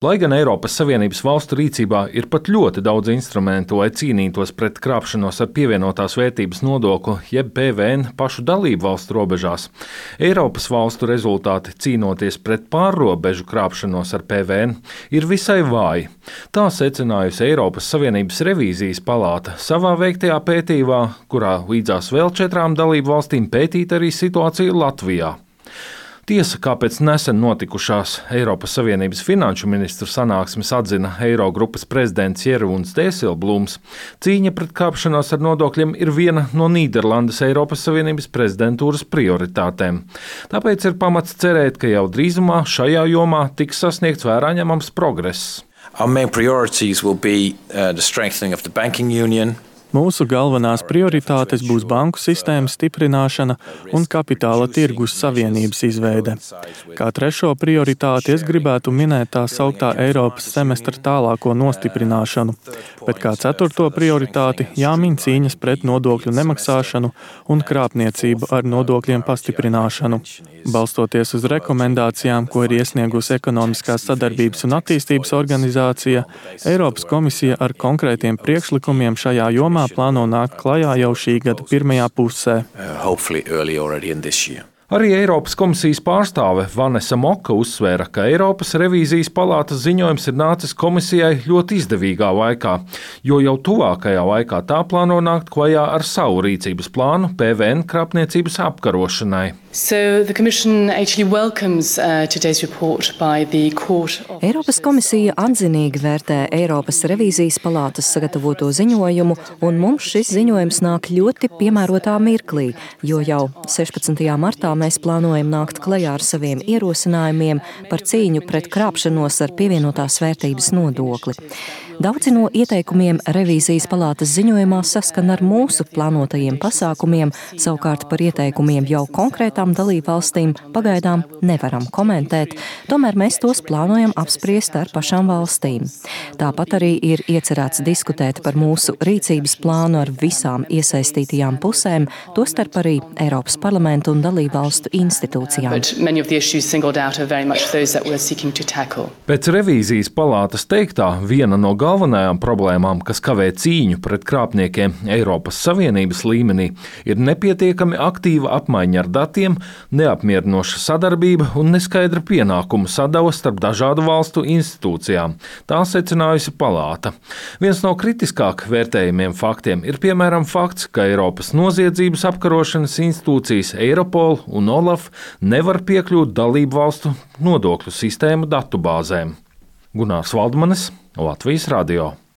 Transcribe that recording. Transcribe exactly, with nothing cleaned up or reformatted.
Lai gan Eiropas Savienības valstu rīcībā ir pat ļoti daudz instrumentu, lai cīnītos pret krāpšanos ar pievienotās vērtības nodokli, jeb P V N pašu dalību valstu robežās, Eiropas valstu rezultāti cīnoties pret pārrobežu krāpšanos ar P V N ir visai vāji. Tā secinājusi Eiropas Savienības revīzijas palāta savā veiktajā pētījumā, kurā līdzās vēl četrām dalību valstīm pētīt arī situāciju Latvijā. Tiesa, kāpēc nesen notikušās Eiropas Savienības finanšu ministru sanāksmes atzina Eirogrupas prezidents Jeroens Dijsselbloems, cīņa pret krāpšanos ar nodokļiem ir viena no Nīderlandes Eiropas Savienības prezidentūras prioritātēm. Tāpēc ir pamats cerēt, ka jau drīzumā šajā jomā tiks sasniegts vērā ņemams progress. Our main priorities will be uh, the strengthening of the banking union. Mūsu galvenās prioritātes būs banku sistēmas stiprināšana un kapitāla tirgus savienības izveide. Kā trešo prioritāti es gribētu minēt tā sauktā Eiropas semestra tālāko nostiprināšanu, bet kā ceturto prioritāti jāmin cīņas pret nodokļu nemaksāšanu un krāpniecību ar nodokļiem pastiprināšanu. Balstoties uz rekomendācijām, ko ir iesniegusi Ekonomiskās sadarbības un attīstības organizācija, Eiropas komisija ar konkrētiem priekšlikumiem šajā jomā plāno nākt klajā jau šī gada pirmajā pusē. Arī Eiropas komisijas pārstāve Vanesa Moka uzsvēra, ka Eiropas revīzijas palātas ziņojums ir nācis komisijai ļoti izdevīgā laikā, jo jau tuvākajā laikā tā plāno nākt klajā ar savu rīcības plānu P V N krāpniecības apkarošanai. So the Commission actually welcomes uh, today's report by the Court of... Eiropas komisija atzinīgi vērtē Eiropas revīzijas palātas sagatavoto ziņojumu, un mums šis ziņojums nāk ļoti piemērotā mirklī, jo jau sešpadsmitajā martā mēs plānojam nākt klajā ar saviem ierosinājumiem par cīņu pret krāpšanos ar pievienotās vērtības nodokli. Daudzi no ieteikumiem revīzijas palātas ziņojumā saskan ar mūsu plānotajiem pasākumiem, savukārt par ieteikumiem jau konkrētām dalībvalstīm pagaidām nevaram komentēt, tomēr mēs tos plānojam apspriest ar pašām valstīm. Tāpat arī ir iecerēts diskutēt par mūsu rīcības plānu ar visām iesaistītajām pusēm, tostarp arī Eiropas parlamentu un dalībvalstu institūcijām. Pēc revīzijas palātas teiktā, viena no galvenajām problēmām, kas kavē cīņu pret krāpniekiem Eiropas Savienības līmenī, ir nepietiekami aktīva apmaiņa ar datiem, neapmierinoša sadarbība un neskaidra pienākumu sadala starp dažādu valstu institūcijām. Tā secinājusi palāta. Viens no kritiskāk vērtējumiem faktiem ir piemēram fakts, ka Eiropas noziedzības apkarošanas institūcijas Eiropol un Olaf nevar piekļūt dalību valstu nodokļu sistēmu datubāzēm. Gunārs Valdmanis, Latvijas radio.